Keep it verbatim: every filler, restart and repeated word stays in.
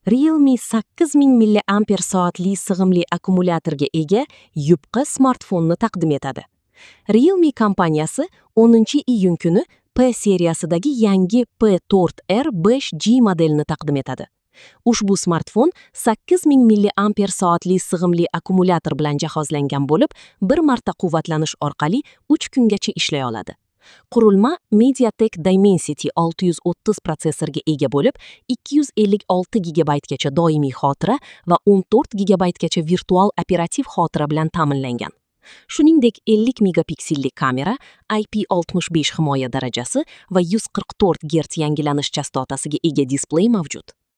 Realme sakkiz ming milliamper soatli sig'imli akkumulyatorga ega yupqa smartfonni taqdim etadi. Realme kompaniyasi o'ninchi iyun kuni P seriyasidagi yangi P to'rt R besh G modelini taqdim etadi. Ushbu smartfon sakkiz ming milliamper soatli sig'imli akkumulyator bilan jihozlangan bo'lib, bir marta quvvatlanish orqali uch kungacha ishlay oladi. Qurilma MediaTek Dimensity olti yuz o'ttiz protsessorga ega bo'lib, ikki yuz ellik olti gigabaytgacha doimiy xotira va o'n to'rt gigabaytgacha virtual operativ xotira bilan ta'minlangan. Shuningdek, ellik megapikselli kamera, I P oltmish besh himoya darajasi va yuz qirq to'rt gerts yangilanish chastotasiga ega displey mavjud.